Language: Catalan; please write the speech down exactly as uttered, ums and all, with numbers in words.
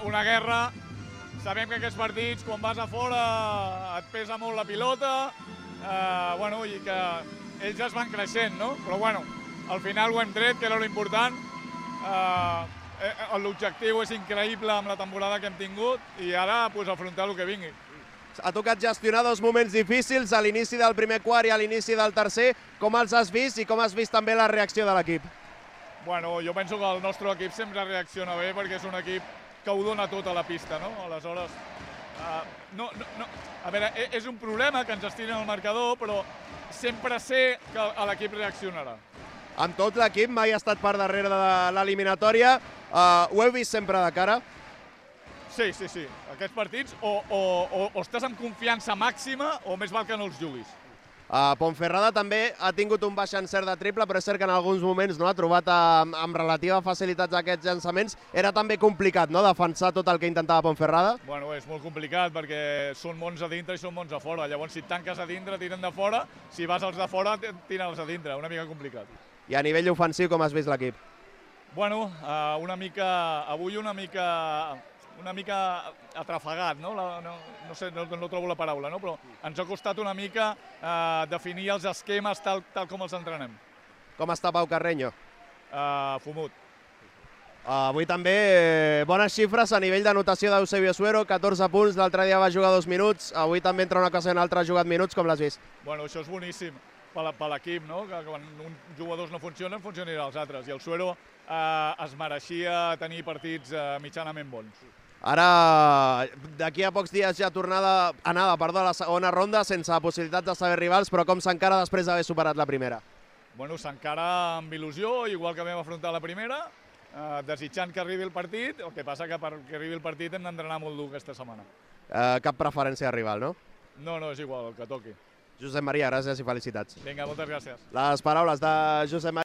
una guerra. Sabem que aquests partits, quan vas a fora, et pesa molt la pilota, eh, bueno, i que ells es van creixent, no? Però bueno, al final ho hem tret, que era l'important. Eh, L'objectiu és increïble amb la temporada que hem tingut i ara pues, afrontar el que vingui. Ha tocat gestionar dos moments difícils, a l'inici del primer quart i a l'inici del tercer. Com els has vist i com has vist també la reacció de l'equip? Bueno, jo penso que el nostre equip sempre reacciona bé perquè és un equip que ho dona tot a la pista, no? Aleshores, uh, no, no, no. A veure, és un problema que ens estiren el marcador, però sempre sé que l'equip reaccionarà. Amb tot l'equip, mai ha estat per darrere de l'eliminatòria. Uh, ho heu vist sempre de cara? Sí, sí, sí. Aquests partits o, o, o, o estàs amb confiança màxima o més val que no els juguis. Uh, Ponferrada també ha tingut un baix encert de triple, però és cert que en alguns moments no ha trobat amb, amb relativa facilitat aquests llançaments. Era també complicat, no?, defensar tot el que intentava Ponferrada. Bueno, és molt complicat perquè són mons a dintre i són mons a fora. Llavors, si et tanques a dintre, tiren de fora. Si vas als de fora, tiren els a dintre. Una mica complicat. I a nivell ofensiu, com has vist l'equip? Bueno, uh, una mica... Avui una mica... una mica atrafegat, no? La, no, no sé, no, no trobo la paraula, no? Però ens ha costat una mica eh, definir els esquemes tal, tal com els entrenem. Com està Pau Carreño? Uh, fumut. Uh, avui també eh, bones xifres a nivell d'anotació d'Eusebio Suero, catorze punts, l'altre dia va jugar dos minuts, avui també entra una cosa i una altra ha jugat minuts, com l'has vist? Bueno, això és boníssim per l'equip, no? Que quan uns jugadors no funcionen, funcionaran els altres. I el Suero eh, es mereixia tenir partits eh, mitjanament bons. Ara, d'aquí a pocs dies ja tornada, anada perdó, a la segona ronda, sense possibilitats de saber rivals, però com s'encara després d'haver superat la primera? Bueno, s'encara amb il·lusió, igual que vam afrontar la primera, eh, desitjant que arribi el partit, el que passa que perquè arribi el partit hem d'entrenar molt dur aquesta setmana. Eh, cap preferència de rival, no? No, no, és igual, el que toqui. Josep Maria, gràcies i felicitats. Vinga, moltes gràcies. Les paraules de Josep Maria.